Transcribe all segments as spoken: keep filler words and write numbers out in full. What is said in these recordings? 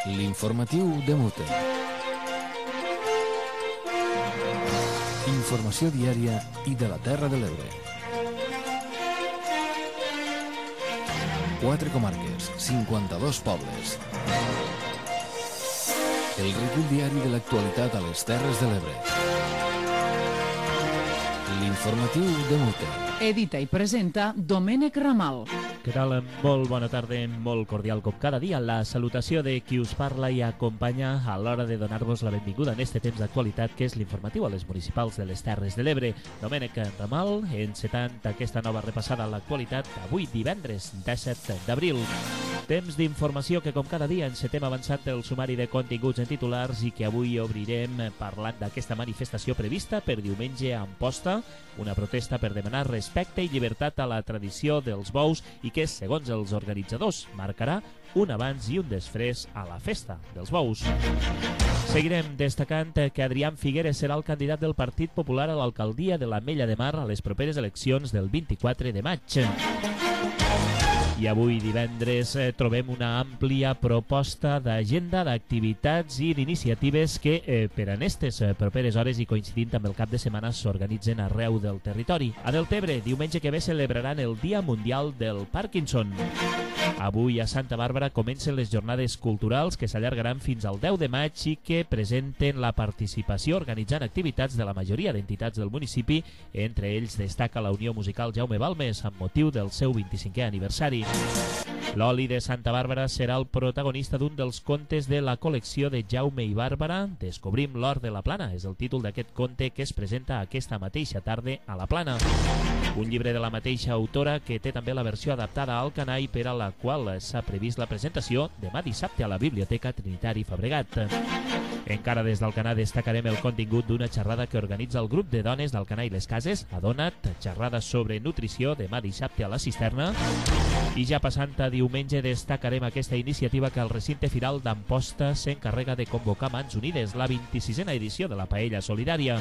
L'informatiu de Mute. Informació diària i de la Terra de l'Ebre. Quatre comarques, cinquanta-dos pobles. El recull diari de l'actualitat a les Terres de l'Ebre. L'informatiu de Mute. Edita i presenta Domènec Ramal. Què tal? Molt bona tarda, molt cordial com cada dia. La salutació de qui us parla i acompanya a l'hora de donar-vos la benvinguda en este temps d'actualitat que és l'informatiu a les municipals de les Terres de l'Ebre. Domènec Ramal, encetant aquesta nova repassada a l'actualitat avui divendres disset d'abril. Temps d'informació que com cada dia encetem avançant el sumari de continguts en titulars i que avui obrirem parlant d'aquesta manifestació prevista per diumenge a Amposta, una protesta per demanar respecte i llibertat a la tradició dels bous i que, segons els organitzadors, marcarà un abans i un després a la festa dels bous. Seguirem destacant que Adrián Figueres serà el candidat del Partit Popular a l'alcaldia de l'Ametlla de Mar a les properes eleccions del vint-i-quatre de maig. I avui divendres eh, trobem una àmplia proposta d'agenda d'activitats i d'iniciatives que eh, per en estes eh, properes hores i coincidint amb el cap de setmana s'organitzen arreu del territori. A Deltebre, diumenge que ve celebraran el Dia Mundial del Parkinson. Avui a Santa Bàrbara comencen les jornades culturals que s'allargaran fins al deu de maig i que presenten la participació organitzant activitats de la majoria d'entitats del municipi. Entre ells destaca la Unió Musical Jaume Balmes amb motiu del seu vint-i-cinquè aniversari. L'oli de Santa Bàrbara serà el protagonista d'un dels contes de la col·lecció de Jaume i Bàrbara. Descobrim l'or de la Plana, és el títol d'aquest conte que es presenta aquesta mateixa tarda a la Plana. Un llibre de la mateixa autora que té també la versió adaptada al canall per a la qual s'ha previst la presentació demà dissabte a la Biblioteca Trinitari Fabregat. Encara des d'Alcanar destacarem el contingut d'una xerrada que organitza el grup de dones d'Alcanar i les Cases, Adonat, xerrada sobre nutrició demà dissabte a la Cisterna. I ja passant a diumenge destacarem aquesta iniciativa que el recinte firal d'Amposta s'encarrega de convocar Mans Unides, la vint-i-sisena edició de la Paella Solidària.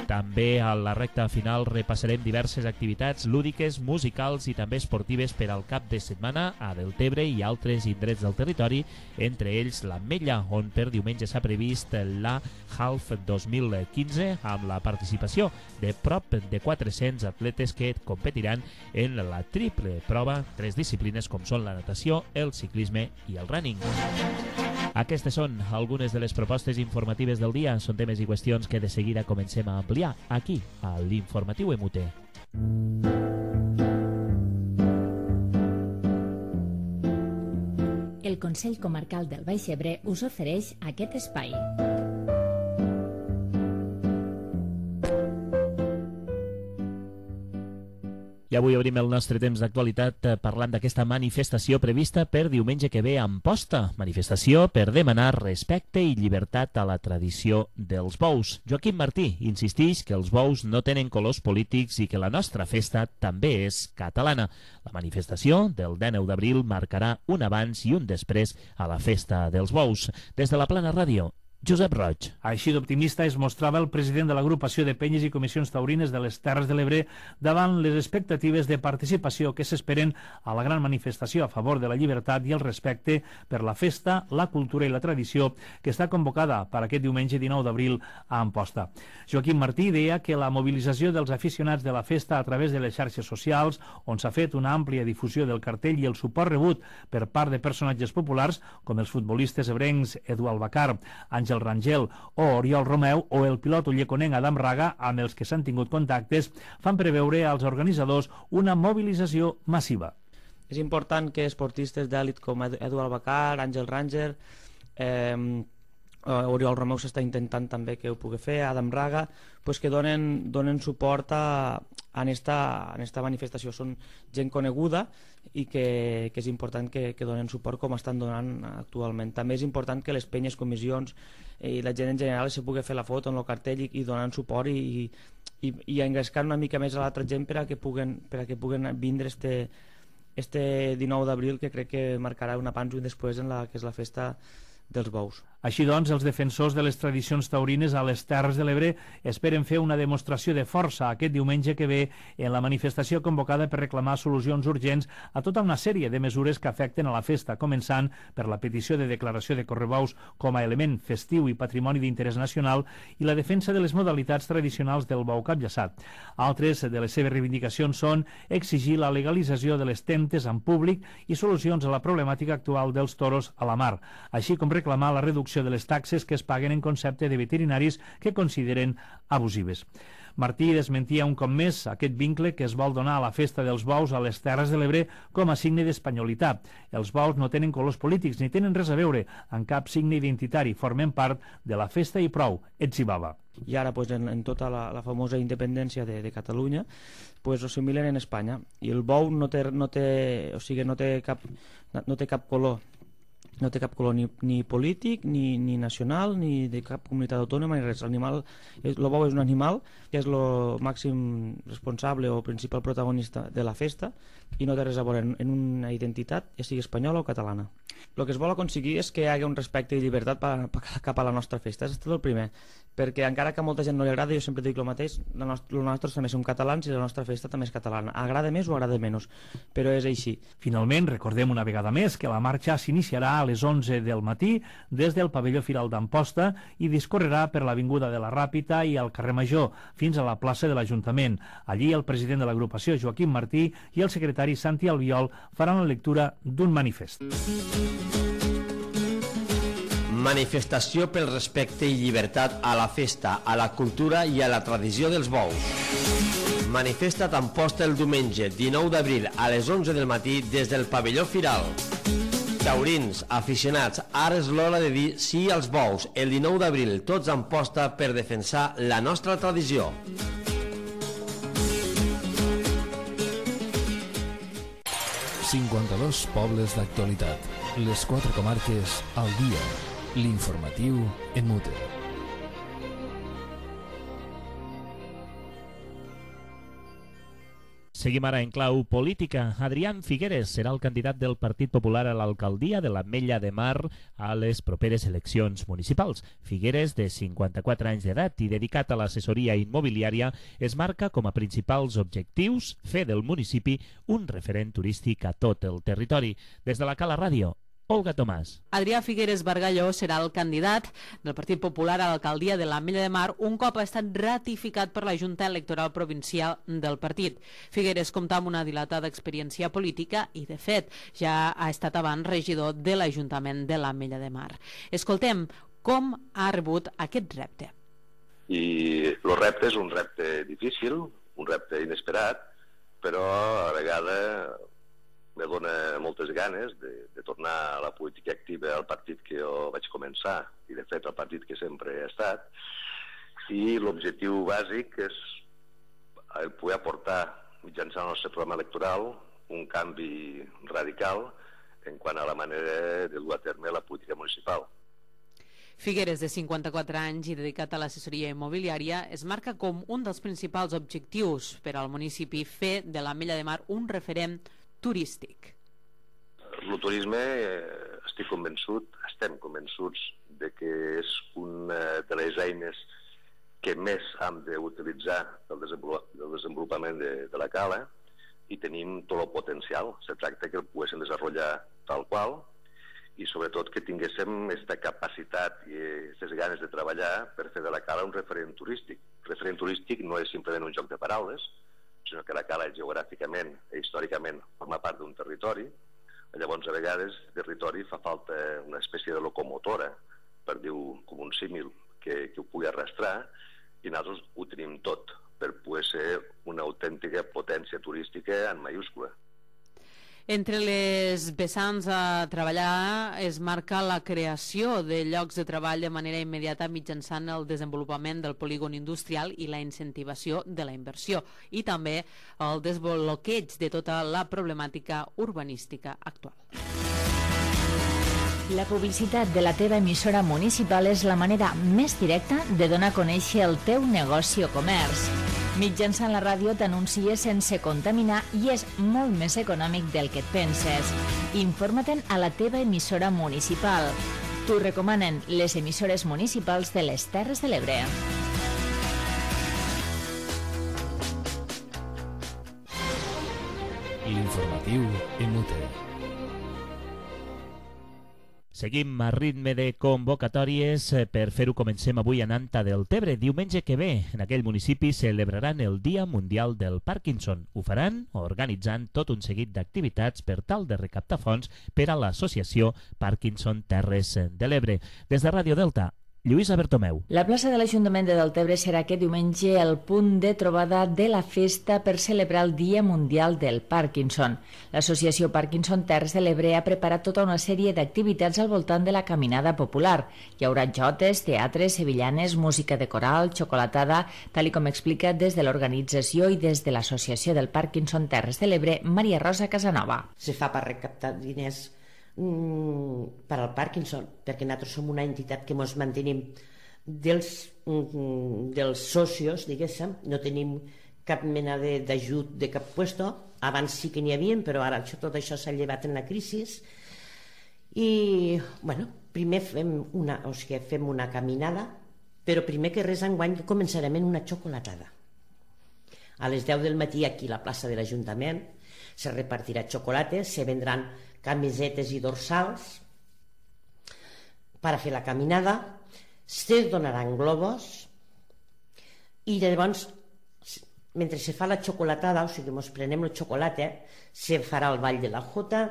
També a la recta final repassarem diverses activitats lúdiques, musicals i també esportives per al cap de setmana a Deltebre i altres indrets del territori, entre ells l'Ametlla, on per diumenge s'ha previst la Half dos mil quinze amb la participació de prop de quatre-cents atletes que competiran en la triple prova, tres disciplines com són la natació, el ciclisme i el running. Aquestes són algunes de les propostes informatives del dia. Són temes i qüestions que de seguida comencem a ampliar aquí, a l'Informatiu M U T. El Consell Comarcal del Baix Ebre us ofereix aquest espai. I avui obrim el nostre temps d'actualitat parlant d'aquesta manifestació prevista per diumenge que ve a Amposta. Manifestació per demanar respecte i llibertat a la tradició dels bous. Joaquim Martí insisteix que els bous no tenen colors polítics i que la nostra festa també és catalana. La manifestació del dinou d'abril marcarà un abans i un després a la festa dels bous. Des de la Plana Ràdio, Josep Roig. Així d'optimista es mostrava el president de l'agrupació de penyes i comissions taurines de les Terres de l'Ebre davant les expectatives de participació que s'esperen a la gran manifestació a favor de la llibertat i el respecte per la festa, la cultura i la tradició que està convocada per aquest diumenge dinou d'abril a Amposta. Joaquim Martí deia que la mobilització dels aficionats de la festa a través de les xarxes socials, on s'ha fet una àmplia difusió del cartell i el suport rebut per part de personatges populars com els futbolistes ebrencs Edu Albacar, Àngel el Rangel o Oriol Romeu o el pilot ulleconenc Adam Raga, amb els que s'han tingut contactes, fan preveure als organitzadors una mobilització massiva. És important que esportistes d'èlit com Edu Albacar, Àngel Ranger, eh, Oriol Romeu s'està intentant també que ho pugui fer, Adam Raga, pues que donen, donen suport a, a, esta, a esta manifestació. Són gent coneguda i que, que és important que, que donen suport com estan donant actualment. També és important que les penyes, comissions i la gent en general se pugui fer la foto en el cartell i, i donant suport i, i, i engrescant una mica més a l'altra gent per a que puguen, per a que puguen vindre este, este dinou d'abril, que crec que marcarà un abans i un després en la que és la festa dels bous. Així doncs, els defensors de les tradicions taurines a les Terres de l'Ebre esperen fer una demostració de força aquest diumenge que ve en la manifestació convocada per reclamar solucions urgents a tota una sèrie de mesures que afecten a la festa, començant per la petició de declaració de correbous com a element festiu i patrimoni d'interès nacional i la defensa de les modalitats tradicionals del bou capllaçat. Altres de les seves reivindicacions són exigir la legalització de les temptes en públic i solucions a la problemàtica actual dels toros a la mar, així com reclamar la reducció de les taxes que es paguen en concepte de veterinaris que consideren abusives. Martí desmentia un cop més aquest vincle que es vol donar a la festa dels bous a les Terres de l'Ebre com a signe d'espanyolitat. Els bous no tenen colors polítics ni tenen res a veure amb cap signe identitari, formen part de la festa i prou, ets i baba. I ara pues, en, en tota la, la famosa independència de, de Catalunya pues, ho assimilen en Espanya i el bou no té, no té, o sigui, no té cap, no té cap color no té cap color ni, ni polític, ni, ni nacional, ni de cap comunitat autònoma, ni res. L'animal, el bou és un animal que és el màxim responsable o principal protagonista de la festa i no té res a veure en, en una identitat, ja sigui espanyola o catalana. El que es vol aconseguir és que hi hagi un respecte i llibertat pa, pa, cap a la nostra festa, és tot el primer, perquè encara que a molta gent no li agrada, jo sempre dic el mateix, nosaltres també som catalans i la nostra festa també és catalana, agrada més o agrada menys, però és així. Finalment, recordem una vegada més que la marxa s'iniciarà a les onze del matí des del pavelló Firal d'Amposta i discorrerà per l'avinguda de la Ràpita i al carrer Major fins a la plaça de l'Ajuntament. Allí el president de l'agrupació, Joaquim Martí, i el secretari Santi Albiol faran la lectura d'un manifest. Manifestació pel respecte i llibertat a la festa, a la cultura i a la tradició dels bous. Manifesta t'Amposta el diumenge dinou d'abril a les onze del matí des del pavelló Firal. Taurins, aficionats, ara és l'hora de dir sí als bous. El dinou d'abril tots a Amposta per defensar la nostra tradició. cinquanta-dos pobles d'actualitat. Les quatre comarques al dia. L'informatiu en mute. Seguim ara en clau política. Adrián Figueres serà el candidat del Partit Popular a l'alcaldia de l'Ametlla de Mar a les properes eleccions municipals. Figueres, de cinquanta-quatre anys d'edat i dedicat a l'assessoria immobiliària, es marca com a principals objectius fer del municipi un referent turístic a tot el territori. Des de la Cala Ràdio, Olga Tomàs. Adrià Figueres Bargalló serà el candidat del Partit Popular a l'alcaldia de l'Ametlla de Mar un cop ha estat ratificat per la Junta Electoral Provincial del partit. Figueres compta amb una dilatada experiència política i, de fet, ja ha estat abans regidor de l'Ajuntament de l'Ametlla de Mar. Escoltem com ha rebut aquest repte. I el repte és un repte difícil, un repte inesperat, però a la vegada me dona moltes ganes de, de tornar a la política activa al partit que jo vaig començar i de fet al partit que sempre he estat, i l'objectiu bàsic és el poder aportar mitjançant el nostre programa electoral un canvi radical en quant a la manera de dur a terme la política municipal. Figueres, de cinquanta-quatre anys i dedicat a l'assessoria immobiliària, es marca com un dels principals objectius per al municipi fer de l'Ametlla de Mar un referent turístic. El turisme, eh, estic convençut, estem convençuts de que és una de les eines que més hem d'utilitzar del desenvolupament de, de la cala i tenim tot el potencial. Se tracta que el poguéssim desenvolupar tal qual i sobretot que tinguéssim aquesta capacitat i aquestes ganes de treballar per fer de la cala un referent turístic. El referent turístic no és simplement un joc de paraules, sinó que la cala geogràficament i històricament forma part d'un territori. Llavors, a vegades, el territori fa falta una espècie de locomotora, per dir-ho com un símil, que, que ho pugui arrastrar, i nosaltres ho tenim tot per poder ser una autèntica potència turística en mayúscula. Entre les vessants a treballar es marca la creació de llocs de treball de manera immediata mitjançant el desenvolupament del polígon industrial i la incentivació de la inversió i també el desbloqueig de tota la problemàtica urbanística actual. La publicitat de la teva emissora municipal és la manera més directa de donar a conèixer el teu negoci o comerç. Mitjançant la ràdio t'anuncies sense contaminar i és molt més econòmic del que et penses. Informa-te'n a la teva emissora municipal. T'ho recomanen les emissores municipals de les Terres de l'Ebre. L'informatiu en U T E. Seguim a ritme de convocatòries. Per fer-ho comencem avui a Nanta del Tebre. Diumenge que ve, en aquell municipi celebraran el Dia Mundial del Parkinson. Ho faran organitzant tot un seguit d'activitats per tal de recaptar fons per a l'associació Parkinson Terres de l'Ebre. Des de Ràdio Delta, Lluïsa Bertomeu. La plaça de l'Ajuntament de Deltebre serà aquest diumenge el punt de trobada de la festa per celebrar el Dia Mundial del Parkinson. L'associació Parkinson Terres de l'Ebre ha preparat tota una sèrie d'activitats al voltant de la caminada popular. Hi haurà jotes, teatres, sevillanes, música de coral, xocolatada, tal i com explica des de l'organització i des de l'Associació del Parkinson Terres de l'Ebre, Maria Rosa Casanova. Se fa per recaptar diners per al Parkinson, perquè nosaltres som una entitat que ens mantenim dels, dels socios, diguéssim, no tenim cap mena d'ajut de cap puesto. Abans sí que n'hi havia, però ara això, tot això s'ha llevat en la crisi. I, bueno, primer fem una, o sigui, fem una caminada, però primer que res enguany començarem en una xocolatada. A les deu del matí aquí a la plaça de l'Ajuntament se repartirà xocolates, se vendran camisetes i dorsals per a fer la caminada, se donaran globos i llavors, mentre se fa la xocolatada, o sigui, ens prenem el xocolata, se farà el ball de la jota,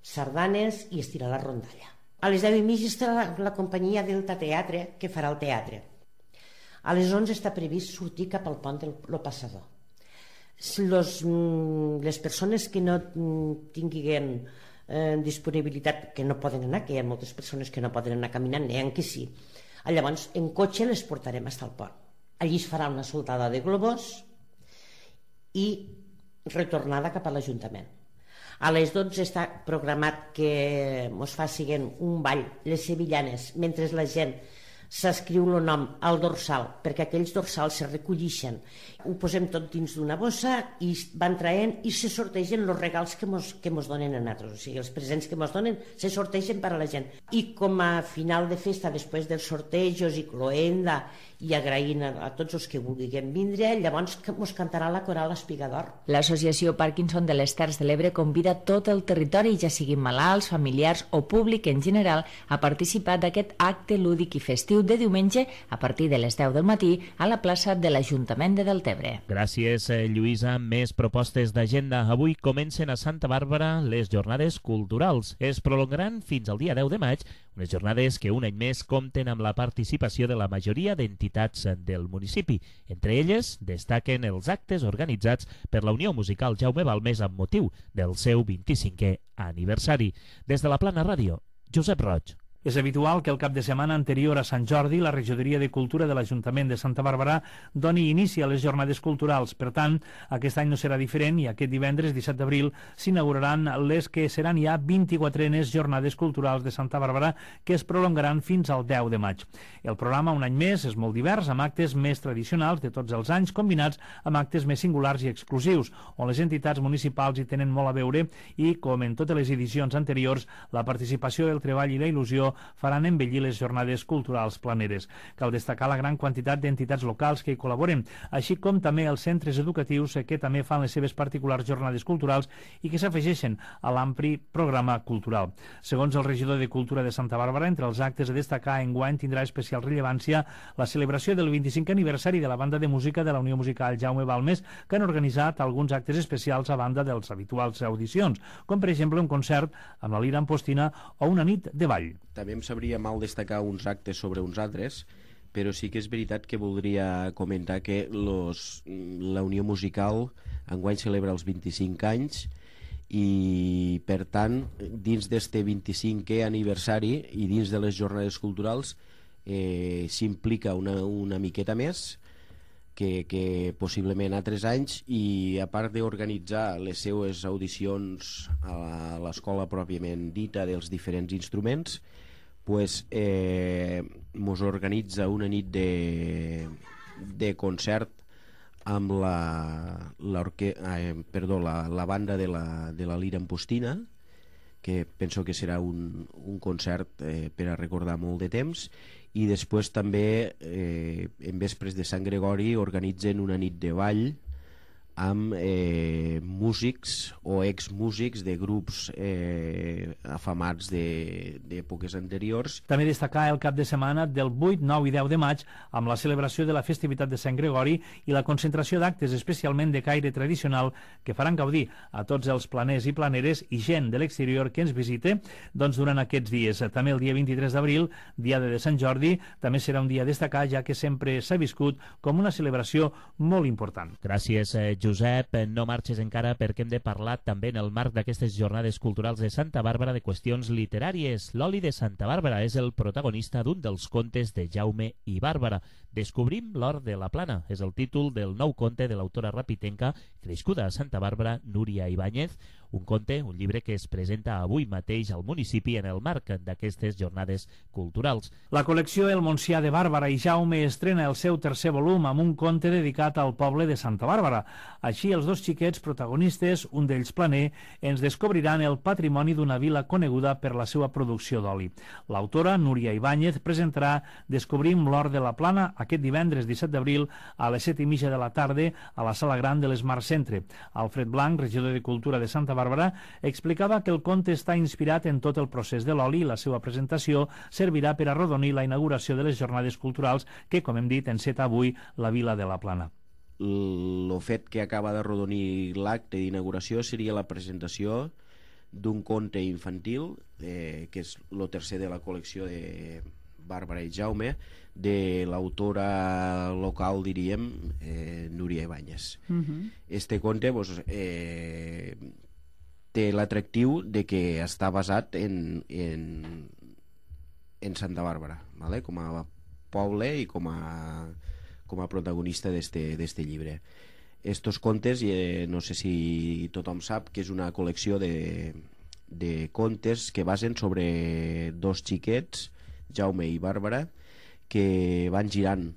sardanes i es tirarà la rondalla. A les deu i mitja estarà la, la companyia Delta Teatre, que farà el teatre. A les onze està previst sortir cap al pont del lo Passador. Los, les persones que no tinguin eh, disponibilitat, que no poden anar, que hi ha moltes persones que no poden anar caminant, n'hi ha que sí. Llavors, en cotxe les portarem fins al pont. Allí es farà una soltada de globos i retornada cap a l'Ajuntament. A les dotze està programat que ens facin un ball, les sevillanes, mentre la gent s'escriu el nom al dorsal, perquè aquells dorsals se recollixen. Ho posem tot dins d'una bossa i van traient i se sortegen els regals que mos, que mos donen a nosaltres. O sigui, els presents que mos donen se sortegen per a la gent. I com a final de festa, després dels sortejos i cloenda i agraint a, a tots els que vulguin vindre, llavors mos cantarà la coral Espigador. L'Associació Parkinson de les Terres de l'Ebre convida tot el territori, ja siguin malalts, familiars o públic en general, a participar d'aquest acte lúdic i festiu de diumenge a partir de les deu del matí a la plaça de l'Ajuntament de Deltebre. Gràcies, Lluïsa. Més propostes d'agenda. Avui comencen a Santa Bàrbara les jornades culturals. Es prolongaran fins al dia deu de maig, unes jornades que un any més compten amb la participació de la majoria d'entitats del municipi. Entre elles destaquen els actes organitzats per la Unió Musical Jaume Balmes amb motiu del seu vint-i-cinquè aniversari. Des de la Plana Ràdio, Josep Roig. És habitual que el cap de setmana anterior a Sant Jordi la Regidoria de Cultura de l'Ajuntament de Santa Bàrbara doni inici a les jornades culturals. Per tant, aquest any no serà diferent i aquest divendres disset d'abril s'inauguraran les que seran ja vint-i-quatrenes jornades culturals de Santa Bàrbara que es prolongaran fins al deu de maig. El programa, un any més, és molt divers, amb actes més tradicionals de tots els anys combinats amb actes més singulars i exclusius, on les entitats municipals hi tenen molt a veure i, com en totes les edicions anteriors, la participació, el treball i la il·lusió faran embellir les jornades culturals planeres. Cal destacar la gran quantitat d'entitats locals que hi col·laboren, així com també els centres educatius que també fan les seves particulars jornades culturals i que s'afegeixen a l'ampli programa cultural. Segons el regidor de Cultura de Santa Bàrbara, entre els actes a destacar enguany tindrà especial rellevància la celebració del vint-i-cinquè aniversari de la banda de música de la Unió Musical Jaume Balmes, que han organitzat alguns actes especials a banda dels habituals audicions, com per exemple un concert amb la Lira Ampostina o una nit de ball. També em sabria mal destacar uns actes sobre uns altres, però sí que és veritat que voldria comentar que los, la Unió Musical enguany celebra els vint-i-cinc anys i, per tant, dins d'este vint-i-cinquè aniversari i dins de les jornades culturals eh, s'implica una, una miqueta més que, que possiblement altres anys, i a part d'organitzar les seues audicions a l'escola pròpiament dita dels diferents instruments, pues, eh, mos organitza una nit de, de concert amb la, la, orque, eh, perdó, la, la banda de la, de la Lira Ampostina, que penso que serà un, un concert eh, per a recordar molt de temps. I després també eh, en vespres de Sant Gregori organitzen una nit de ball amb eh, músics o exmúsics de grups eh, afamats d'èpoques anteriors. També destacar el cap de setmana del vuit, nou i deu de maig amb la celebració de la festivitat de Sant Gregori i la concentració d'actes especialment de caire tradicional que faran gaudir a tots els planers i planeres i gent de l'exterior que ens visite doncs, durant aquests dies. També el dia vint-i-tres d'abril, diada de Sant Jordi, també serà un dia a destacar, ja que sempre s'ha viscut com una celebració molt important. Gràcies, eh, Josep, no marxes encara perquè hem de parlar també en el marc d'aquestes jornades culturals de Santa Bàrbara de qüestions literàries. L'oli de Santa Bàrbara és el protagonista d'un dels contes de Jaume i Bàrbara. Descobrim l'or de la plana. És el títol del nou conte de l'autora rapitenca crescuda a Santa Bàrbara, Núria Ibáñez, un conte, un llibre que es presenta avui mateix al municipi en el marc d'aquestes jornades culturals. La col·lecció El Montsià de Bàrbara i Jaume estrena el seu tercer volum amb un conte dedicat al poble de Santa Bàrbara. Així, els dos xiquets protagonistes, un d'ells planer, ens descobriran el patrimoni d'una vila coneguda per la seva producció d'oli. L'autora, Núria Ibáñez, presentarà Descobrim l'or de la plana aquest divendres disset d'abril a les set i mitja de la tarda a la sala gran de l'Smart Centre. Alfred Blanc, regidor de Cultura de Santa Bàrbara, explicava que el conte està inspirat en tot el procés de l'oli i la seva presentació servirà per arrodonir la inauguració de les jornades culturals que, com hem dit, enceta avui la vila de la Plana. El fet que acaba d'arrodonir l'acte d'inauguració seria la presentació d'un conte infantil, eh, que és el tercer de la col·lecció de Bàrbara i Jaume, de l'autora local, diríem, eh, Núria Ibáñez. Uh-huh. Este conte pues, eh, té l'atractiu de que està basat en, en, en Santa Bàrbara, ¿vale? Com a poble i com a, com a protagonista d'este llibre. Estos contes, eh, no sé si tothom sap que és una col·lecció de, de contes que basen sobre dos xiquets, Jaume i Bàrbara, que van girant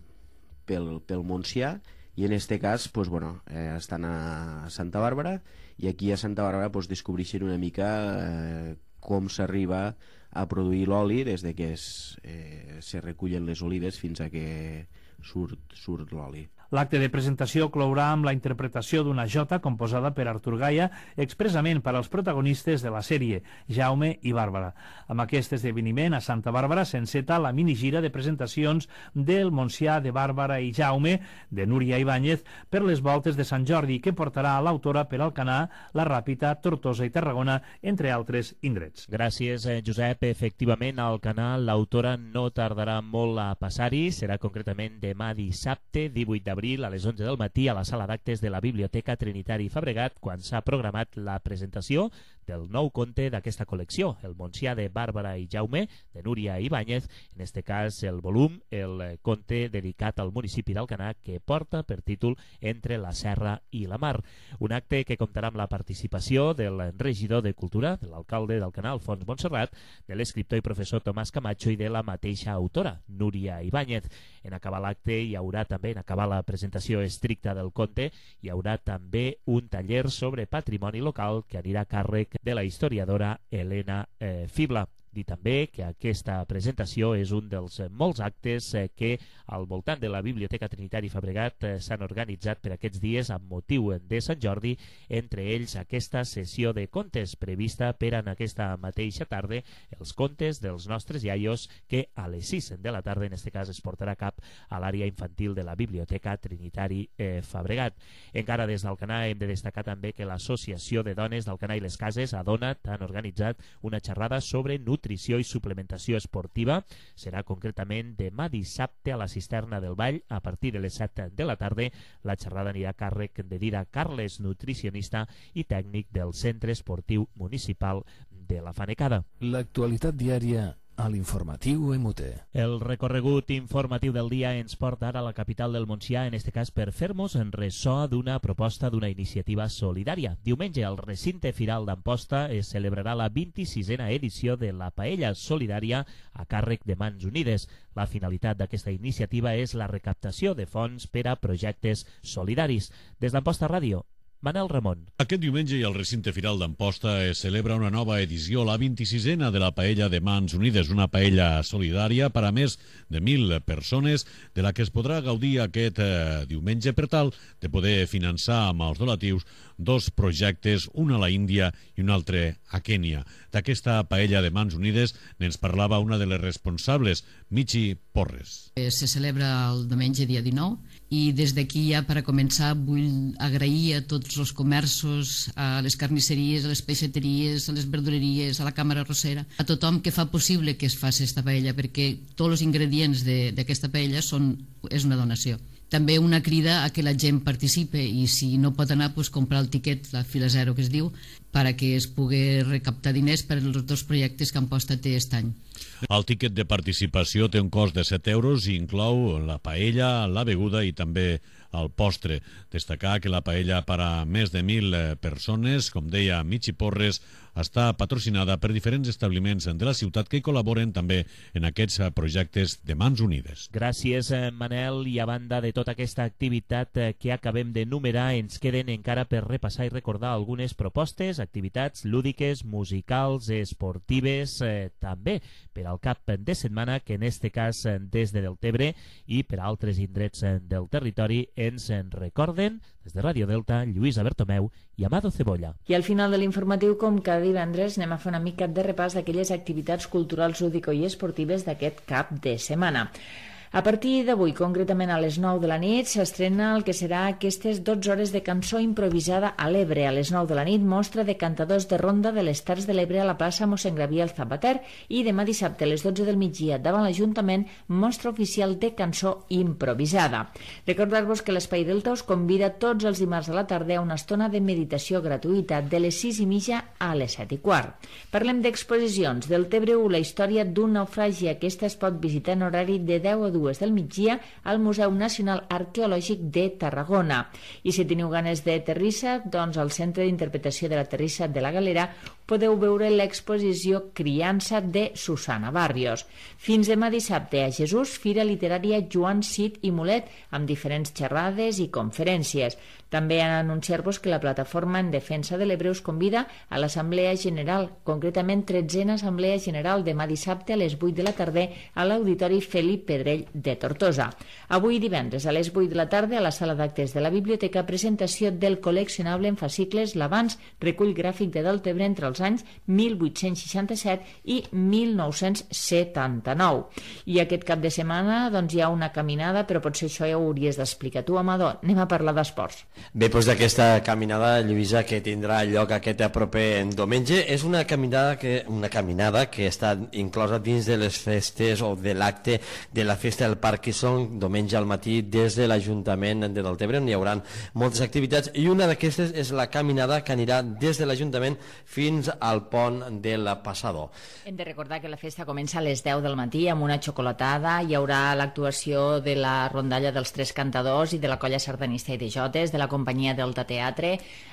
pel, pel Montsià i en este cas pues, bueno, eh, estan a Santa Bàrbara i aquí a Santa Bàrbara pues, descobreixen una mica eh, com s'arriba a produir l'oli des de que es, eh, se recullen les olives fins a que surt, surt l'oli. L'acte de presentació clourà amb la interpretació d'una jota composada per Artur Gaia expressament per als protagonistes de la sèrie, Jaume i Bàrbara. Amb aquest esdeveniment a Santa Bàrbara s'enceta la minigira de presentacions del Montsià de Bàrbara i Jaume, de Núria Ibáñez, per les voltes de Sant Jordi, que portarà a l'autora per Alcanar, la Ràpita, Tortosa i Tarragona, entre altres indrets. Gràcies, Josep. Efectivament, al Alcanar l'autora no tardarà molt a passar-hi. Serà concretament demà dissabte, divuit d'abril, a les onze del matí, a la sala d'actes de la Biblioteca Trinitari Fabregat, quan s'ha programat la presentació del nou conte d'aquesta col·lecció, El Montsià de Bàrbara i Jaume, de Núria Ibáñez, en este cas el volum, el conte dedicat al municipi d'Alcanar, que porta per títol Entre la Serra i la Mar. Un acte que comptarà amb la participació del regidor de Cultura, de l'alcalde d'Alcanar, Alfons Montserrat, de l'escriptor i professor Tomàs Camacho i de la mateixa autora, Núria Ibáñez. En acabar l'acte hi haurà també, en acabar la presentació estricta del conte, hi haurà també un taller sobre patrimoni local que anirà a càrrec de la historiadora Helena eh, Fibla. Dir també que aquesta presentació és un dels molts actes que al voltant de la Biblioteca Trinitari Fabregat s'han organitzat per aquests dies amb motiu de Sant Jordi, entre ells aquesta sessió de contes prevista per en aquesta mateixa tarda, els contes dels nostres iaios, que a les sis de la tarda, en aquest cas, es portarà a cap a l'àrea infantil de la Biblioteca Trinitari eh, Fabregat. Encara des d'Alcanar hem de destacar també que l'Associació de Dones d'Alcanar i les Cases, Adonat, han organitzat una xerrada sobre nutrició nutrició i suplementació esportiva. Serà concretament demà dissabte a la Cisterna del Vall a partir de les set de la tarda. La xerrada anirà a càrrec de Dira Carles, nutricionista i tècnic del Centre Esportiu Municipal de la Fanecada. L'actualitat diària a l'informatiu M U T. El recorregut informatiu del dia ens porta ara a la capital del Montsià, en este cas per fer-nos en ressò d'una proposta d'una iniciativa solidària. Diumenge al recinte firal d'Amposta es celebrarà la vint-i-sisena edició de la Paella Solidària a càrrec de Mans Unides. La finalitat d'aquesta iniciativa és la recaptació de fons per a projectes solidaris. Des d'Amposta Ràdio, Manel Ramon. Aquest diumenge i al recinte firal d'Amposta es celebra una nova edició, la vint-i-sisena de la Paella de Mans Unides, una paella solidària per a més de mil persones, de la que es podrà gaudir aquest eh, diumenge per tal de poder finançar amb els donatius dos projectes, un a la Índia i un altre a Kènia. D'aquesta Paella de Mans Unides n'ens parlava una de les responsables, Michi Porres. Se celebra el diumenge dia dinou i des d'aquí ja per a començar vull agrair a tots els comerços, a les carnisseries, a les peixateries, a les verdureries, a la càmera arrossera, a tothom que fa possible que es faci aquesta paella, perquè tots els ingredients d'aquesta paella són, és una donació. També una crida a que la gent participe i si no pot anar, pues, comprar el tiquet, la fila zero que es diu, perquè es pugui recaptar diners per als dos projectes que Amposta té aquest any. El tiquet de participació té un cost de set euros i inclou la paella, la beguda i també el postre. Destacar que la paella per a més de mil persones, com deia Michi Porres, està patrocinada per diferents establiments de la ciutat que col·laboren també en aquests projectes de Mans Unides. Gràcies, Manel. I a banda de tota aquesta activitat que acabem d'enumerar, ens queden encara per repassar i recordar algunes propostes, activitats lúdiques, musicals, esportives, eh, també per al cap de setmana, que en este cas des de Deltebre i per a altres indrets del territori ens en recorden des de Ràdio Delta, Lluïsa Bertomeu i Amado Cebolla. I al final de l'informatiu, com cada divendres, anem a fer una mica de repàs d'aquelles activitats culturals, lúdico i esportives d'aquest cap de setmana. A partir d'avui, concretament a les nou de la nit, s'estrena el que serà aquestes dotze hores de cançó improvisada a l'Ebre. A les nou de la nit, mostra de cantadors de ronda de les Terres de l'Ebre a la plaça mossèn Gabriel Zapater i demà dissabte a les dotze del migdia davant l'Ajuntament, mostra oficial de cançó improvisada. Recordar-vos que l'Espai Delta us convida tots els dimarts a la tarda a una estona de meditació gratuïta de les sis i mitja a les set i quart. Parlem d'exposicions. Deltebre u, la història d'un naufragi. Aquesta es pot visitar en horari de deu a dues del migdia al Museu Nacional Arqueològic de Tarragona. I si teniu ganes de terrissa, doncs al Centre d'Interpretació de la Terrissa de la Galera podeu veure l'exposició Criança de Susana Barrios. Fins demà dissabte a Jesús, Fira Literària Joan Cid i Mulet, amb diferents xerrades i conferències. També han anunciar-vos que la Plataforma en Defensa de l'Ebre us convida a l'Assemblea General, concretament tretzena Assemblea General, demà dissabte a les vuit de la tarda a l'Auditori Felip Pedrell de Tortosa. Avui divendres a les vuit de la tarda a la sala d'actes de la Biblioteca, presentació del col·leccionable en fascicles L'Avanç, recull gràfic de Deltebre entre els anys mil vuit-cents seixanta-set i mil nou-cents setanta-nou. I aquest cap de setmana doncs, hi ha una caminada, però potser això ja ho hauries d'explicar tu, Amador. Anem a parlar d'esports. Bé, doncs d'aquesta caminada, Lluïsa, que tindrà lloc aquest proper diumenge, és una caminada que, una caminada que està inclosa dins de les festes o de l'acte de la festa del Parkinson, diumenge al matí des de l'Ajuntament de Deltebre, on hi haurà moltes activitats, i una d'aquestes és la caminada que anirà des de l'Ajuntament fins al pont de la Passador. Hem de recordar que la festa comença a les deu del matí amb una xocolatada. Hi haurà l'actuació de la rondalla dels Tres Cantadors i de la colla sardanista i de jotes, de la companyia Delta Teatre.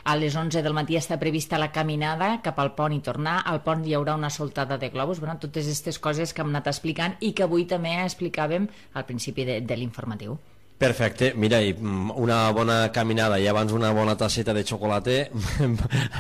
A les onze del matí està prevista la caminada cap al pont i tornar. Al pont hi haurà una soltada de globus. Bueno, totes aquestes coses que hem anat explicant i que avui també explicàvem al principi de, de l'informatiu. Perfecte, mira, i una bona caminada i abans una bona tasseta de xocolata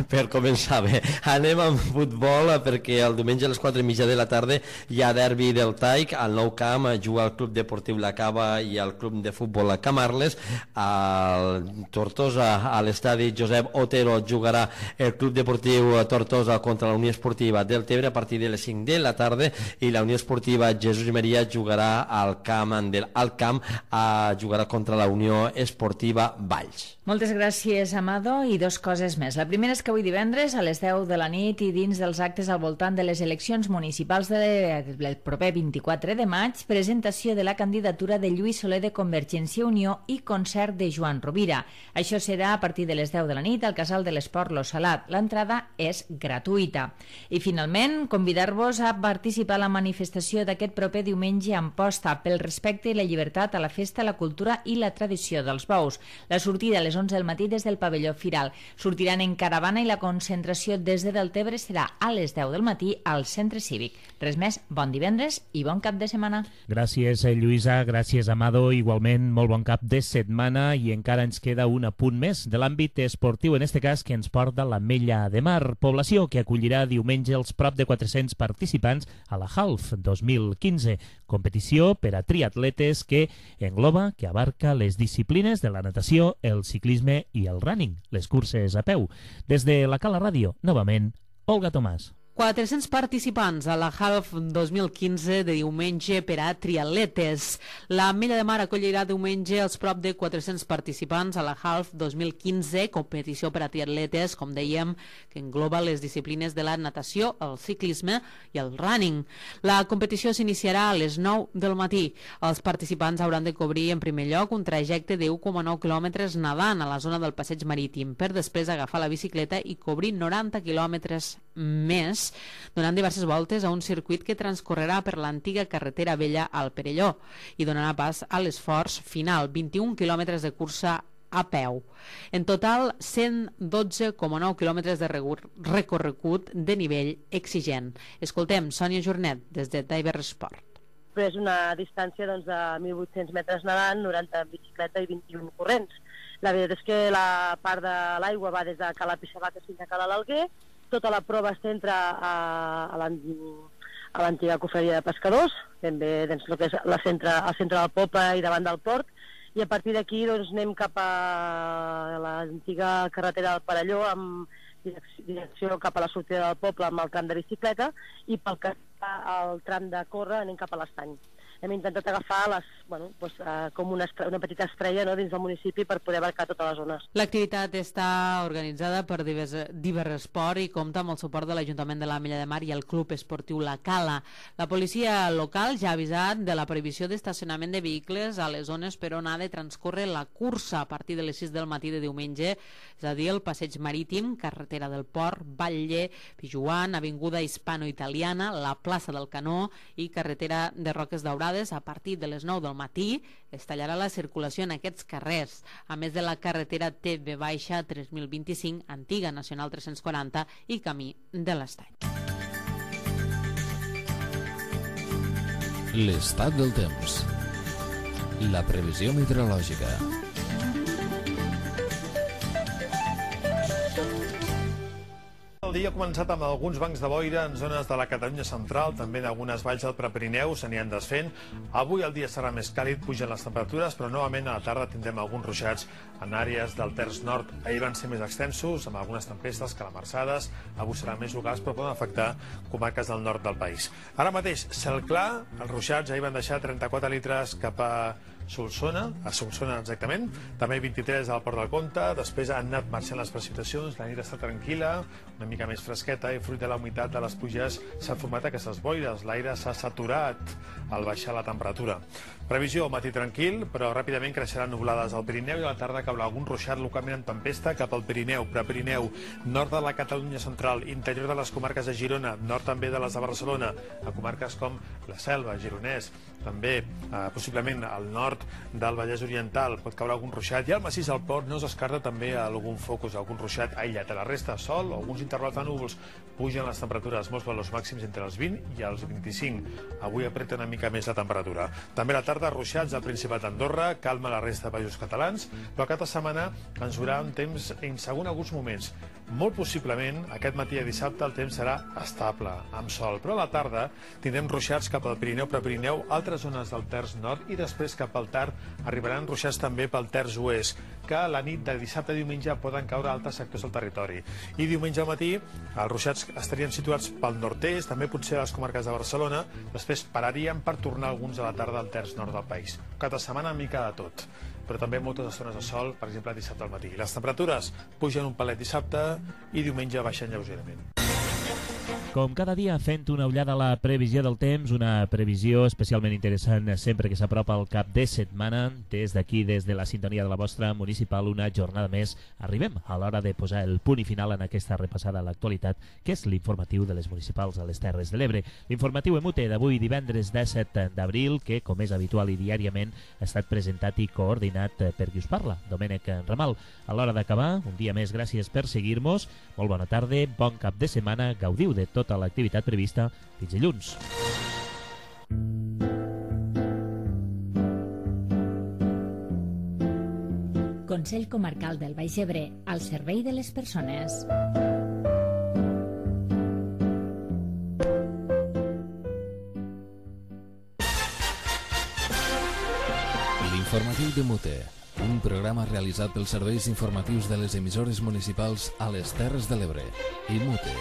per començar bé. Anem amb futbol perquè el diumenge a les quatre i mitja de la tarda hi ha derbi del Taic, al nou camp juga el Club Deportiu La Cava i el Club de Futbol Camarles. Al Tortosa, a l'estadi Josep Otero, jugarà el Club Deportiu Tortosa contra la Unió Esportiva Deltebre a partir de les cinc de la tarda i la Unió Esportiva Jesús Maria jugarà al camp del Alt Camp a jugar contra la Unió Esportiva Valls. Moltes gràcies, Amado. I dos coses més. La primera és que avui divendres a les deu de la nit i dins dels actes al voltant de les eleccions municipals del proper vint-i-quatre de maig, presentació de la candidatura de Lluís Soler de Convergència i Unió i concert de Joan Rovira. Això serà a partir de les deu de la nit al Casal de l'Esport Lo Salat. L'entrada és gratuïta. I finalment, convidar-vos a participar a la manifestació d'aquest proper diumenge a Amposta pel respecte i la llibertat a la festa, la cultura cultura i la tradició dels bous. La sortida a les onze del matí des del pavelló Firal. Sortiran en caravana i la concentració des de Deltebre serà a les deu del matí al centre cívic. Res més, bon divendres i bon cap de setmana. Gràcies, Lluïsa, gràcies, Amado. Igualment, molt bon cap de setmana i encara ens queda un apunt més de l'àmbit esportiu, en este cas que ens porta l'Ametlla de Mar, població que acollirà diumenge els prop de quatre-cents participants a la Half dos mil quinze, competició per a triatletes que engloba, que abarca les disciplines de la natació, el ciclisme i el running, les curses a peu. Des de la Cala Ràdio, novament, Olga Tomàs. quatre-cents participants a la Half dos mil quinze de diumenge per a triatletes. L'Ametlla de Mar acollirà diumenge els prop de quatre-cents participants a la Half dos mil quinze, competició per a triatletes, com dèiem, que engloba les disciplines de la natació, el ciclisme i el running. La competició s'iniciarà a les nou del matí. Els participants hauran de cobrir en primer lloc un trajecte de u coma nou quilòmetres nedant a la zona del passeig marítim, per després agafar la bicicleta i cobrir noranta quilòmetres més, donant diverses voltes a un circuit que transcorrerà per l'antiga carretera vella al Perelló i donarà pas a l'esforç final, vint-i-un quilòmetres de cursa a peu. En total, cent dotze coma nou quilòmetres de recorregut de nivell exigent. Escoltem Sònia Jornet, des de Tiber Sport. És una distància doncs, de mil vuit-cents metres nedant, noranta en bicicleta i vint-i-un corrents. La veritat és que la part de l'aigua va des de Cala Pixabaca fins a Cala l'Alguer. Tota la prova es centra a, a l'antiga cofreria de pescadors, ben bé doncs, el que és la centre, al centre del poble i davant del port, i a partir d'aquí doncs, anem cap a l'antiga carretera del Perelló amb direcció cap a la sortida del poble amb el tram de bicicleta, i pel que fa al tram de córrer anem cap a l'estany. Hem intentat agafar les, bueno, doncs, eh, com una, una petita estrella, no, dins del municipi per poder abarcar totes les zones. L'activitat està organitzada per Diversport i compta amb el suport de l'Ajuntament de l'Ametlla de Mar i el Club Esportiu La Cala. La policia local ja ha avisat de la prohibició d'estacionament de vehicles a les zones per on ha de transcórrer la cursa a partir de les sis del matí de diumenge, és a dir, el passeig marítim, carretera del Port, Batlle, Pijuan, avinguda hispano-italiana, la plaça del Canó i carretera de Roques Daurades. A partir de les nou del matí es tallarà la circulació en aquests carrers, a més de la carretera T V tres mil vint-i-cinc, antiga Nacional tres-cents quaranta i camí de l'Estany. L'estat del temps. La previsió meteorològica. El dia ha començat amb alguns bancs de boira en zones de la Catalunya central, també en algunes valls del Prepirineu s'aniran desfent. Avui el dia serà més càlid, pugen les temperatures, però novament a la tarda tindrem alguns ruixats en àrees del terç nord. Ahir van ser més extensos, amb algunes tempestes calamarsades, avui seran més locals, però poden afectar comarques del nord del país. Ara mateix, cel clar, els ruixats ahir van deixar trenta-quatre litres cap a Solsona, a Solsona exactament, també vint-i-tres al Port del Comte, després han anat marxant les precipitacions, la nit està tranquil·la, una mica més fresqueta, i fruit de la humitat de les pluges s'han format aquestes boires, l'aire s'ha saturat al baixar la temperatura. Previsió, matí tranquil, però ràpidament creixeran nuvolades al Pirineu i a la tarda caurà algun ruixat localment en tempesta cap al Pirineu, Prepirineu, nord de la Catalunya central, interior de les comarques de Girona, nord també de les de Barcelona, a comarques com la Selva, Gironès, també eh, possiblement al nord del Vallès Oriental pot caure algun ruixat, i al massís del Port no es descarta també algun focus, algun ruixat aïllat. A la resta, sol o alguns intervals de núvols. Pugen les temperatures, molts valors màxims entre els vint i els vint-i-cinc. Avui apreta una mica més la temperatura. També a la tarda, ruixats al Principat d'Andorra, calma la resta de països catalans, però aquesta setmana ens durà un temps insegur en alguns moments. Molt possiblement, aquest matí a dissabte el temps serà estable, amb sol, però a la tarda tindrem ruixats cap al Pirineu, Prepirineu, altres zones del terç nord, i després cap al tard arribaran ruixats també pel terç oest, que a la nit de dissabte a diumenge poden caure a altres sectors del territori. I diumenge al matí els ruixats estarien situats pel nord-est, també potser a les comarques de Barcelona, després pararien per tornar alguns a la tarda al terç nord del país. Cada setmana mica de tot, però també moltes estones de sol, per exemple dissabte al matí. Les temperatures pugen un palet dissabte i diumenge baixen lleugerament. Com cada dia, fent una ullada a la previsió del temps, una previsió especialment interessant sempre que s'apropa al cap de setmana. Des d'aquí, des de la sintonia de la vostra municipal, una jornada més. Arribem a l'hora de posar el punt i final en aquesta repassada a l'actualitat, que és l'informatiu de les municipals a les Terres de l'Ebre. L'informatiu Emute d'avui, divendres disset d'abril, que, com és habitual i diàriament, ha estat presentat i coordinat per qui us parla, Domènec Ramal. A l'hora d'acabar, un dia més, gràcies per seguir-nos. Molt bona tarda, bon cap de setmana, gaudiu de tota l'activitat prevista. Fins dilluns. Consell Comarcal del Baix Ebre, al servei de les persones. L'informatiu de Mute, un programa realitzat pels serveis informatius de les emissores municipals a les Terres de l'Ebre i Mute.